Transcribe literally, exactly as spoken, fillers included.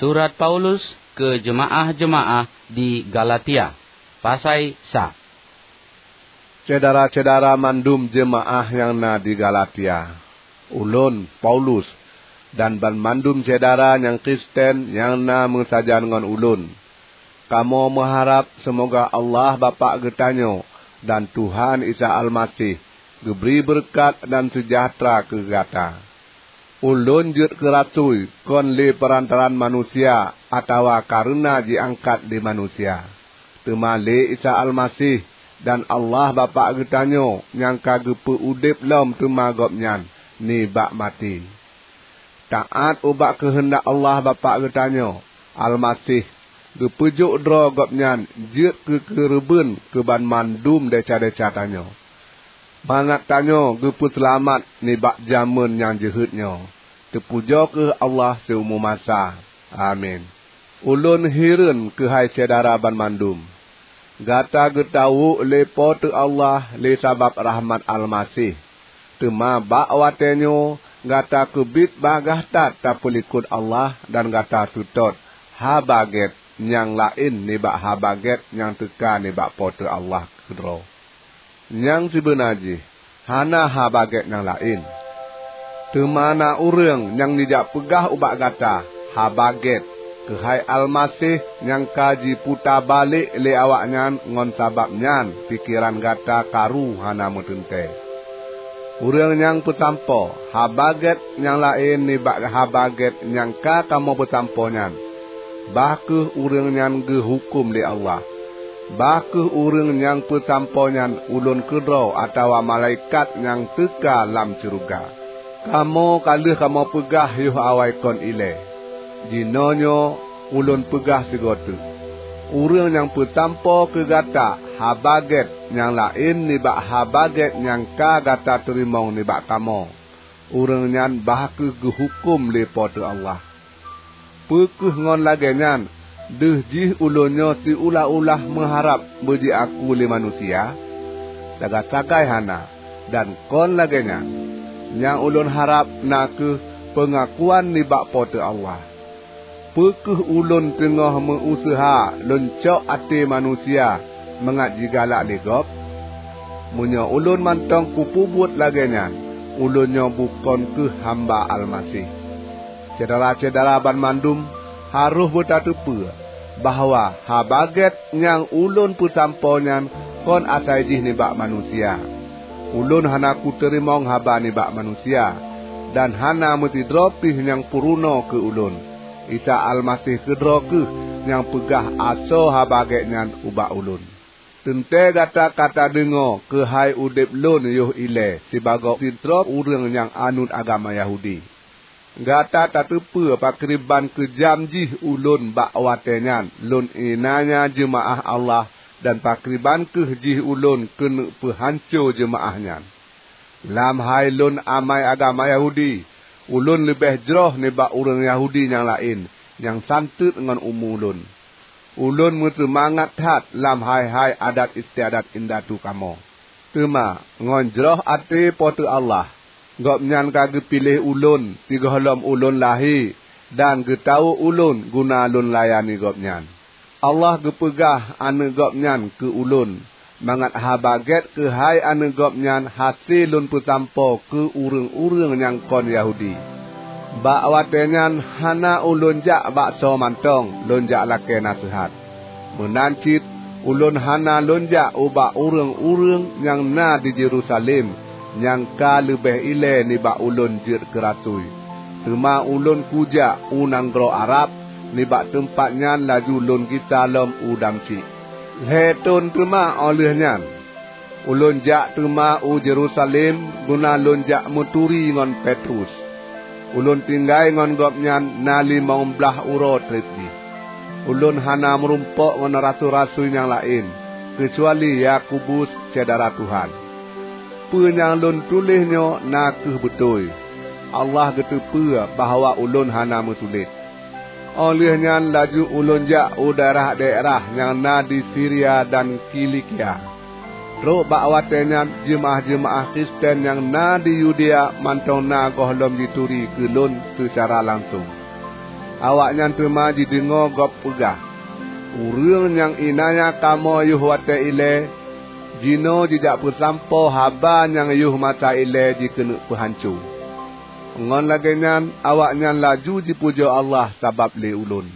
Surat Paulus keu jeumaáh-jeumaáh di Galatia. Pasai sa. Syedara-syedara mandum jeumaáh nyang na di Galatia, ulôn, Paulus, dan banmandum syedara nyang Kristen nyang na meusajan ngon ulôn, kamoe meuharab seumoga Allah Bapak geutanyoe dan Tuhan Isa Almaseh geubri beureukat dan seujahteura keu gata. Ulôn jeuet keu rasui kon lé peurantaraan manusia atawa kareuna jiangkat lé manusia, teuma lé Isa Almaseh dan Allah Bapak geutanyoe nyang ka geupeu udeb lom teuma Gobnyan nibak maté. Taát ubak keuheundak Allah Bapak geutanyoe, Almaseh geupeujok droe Gobnyan jeuet keu keureubeuen keu banmandum desya-desya tanyoe, mangat tanyoe geupeuseulamat nibak jamén nyang jeuhet nyoe. Teupujoe kheueh Allah siumu masa! Amin. Ulôn hireuen keuhai syedara banmandum! Gata geutawök lé Po teu Allah lé sabab rahmat Almaseh. Teuma bak watée nyoe gata keubiet bagaih that tapeulikot Allah dan gata seutôt Haba Gét nyang laén nibak Haba Gét nyang teuka nibak Po teu Allah keudroe. Nyang sibeuna jih, hana Haba Gét nyang laén. Teuma na ureuëng nyang jijak peugah ubak gata Haba Gét keuhai Almaseh nyang ka jiputa balek lé awaknyan ngon sabab nyan pikeran gata karu hana meuteuntée. Ureuëng nyang peusampoe Haba Gét nyang laén nibak Haba Gét nyang ka kamoe peusampoe nyan, bah kheueh ureuëng nyan geuhuköm lé Allah. Bah kheueh ureuëng nyang peusampoe nyan ulôn keudroe atawa malaikat nyang teuka lam syeuruga. Kamoe ka lheueh kamoe peugah yoh awai kon ilée. Jinoenyoe ulôn peugah sigoe teuk: Ureuëng nyang peusampoe keu gata Haba Gét nyang laén nibak Haba Gét nyang ka gata teurimong nibak kamoe, ureuëng nyan bah kheueh geuhuköm lé Po teu Allah. Peu kheueh ngon lagée nyan deuh jih ulôn nyoe siulah-ulah meuharab beujiaku lé manusia? Sagai-sagai hana! Dan kon lagée nyan, nyang ulôn harab na kheueh peungakuan nibak Po teu Allah. Peu kheueh ulôn teungoh meu-useuha lôn cok até manusia mangat jigalak lé gob? Meunyoe ulôn mantong kupeubuet lagée nyan, ulôn nyoe bukon kheueh hamba Almaseh. Syedara-syedara banmandum, harôh beutateupeue bahwa Haba Gét nyang ulôn peusampoe nyan kon asai jih nibak manusia. Ulôn hana kuteurimong haba nibak manusia, dan hana meusidroe pih nyang peurunoe keu ulôn. Isa Almaseh keudroe kheueh nyang peugah asoe Haba Gét nyan ubak ulôn. Teuntée gata ka tadeungoe keuhai udeb lôn yoh ilée sibagoe sidroe ureuëng nyang anut agama Yahudi. Gata tateupeue pakriban keujam jih ulôn bak watée nyan lôn iénanya jeumaáh Allah dan pakriban kheueh jih ulôn keuneuk peuhanco jeumaáh nyan. Lam hai lôn amai agama Yahudi, ulôn leubeh jroh nibak ureuëng Yahudi nyang laén nyang santeuet ngon umu lôn. Ulôn meuseumangat that lam hai-hai adat istiadat indatu kamoe. Teuma ngon jroh até Po teu Allah, Gobnyan ka geupiléh ulôn sigohlom ulôn lahé dan geutawök ulôn guna lôn layani Gobnyan. Allah geupeugah Aneuëk Gobnyan keu ulôn, mangat Haba Gét keuhai Aneuëk Gobnyan hase lôn peusampoe keu ureuëng-ureuëng nyang kon Yahudi. Bak watée nyan hana ulôn jak bak soe mantong lôn jak lakée naseuhat. Meunan cit ulôn hana lôn jak ubak ureuëng-ureuëng nyang na di Yerusalem nyang ka leubeh ilée nibak ulôn jeuet keu rasui. Teuma ulôn kujak u nanggroe Arab, nibak teumpat nyan laju lôn gisa lom u Damsyik. Lhée thon teuma óh lheueh nyan, ulôn jak teuma u Yerusalem guna lôn jak meuturi ngon Petrus. Ulôn tinggai ngon gobnyan na limong blaih uroe treb jih. Ulôn hana meurumpok ngon rasui-rasui nyang laén, keucuali Yakobus, syedara Tuhan. Peue nyang lôn tuléh nyoe na kheueh beutôi. Allah geuteupeue bahwa ulôn hana meusulet. Óh lheueh nyan laju ulôn jak u daerah-daerah nyang na di Siria dan Kilikia. Trok bak watée nyan jeumaáh-jeumaáh Kristen nyang na di Yudea mantong na gohlom jituri keu lôn seucara langsong. Awaknyan teuma jideungoe gob peugah, "Ureuëng nyang iénanya kamoe yôh watée ilée, jinoe jijak peusampoe haba nyang yôh masa ilée jikeuneuk peuhanco." Ngon lagée nyan awaknyan laju jipujoe Allah sabab lé ulôn.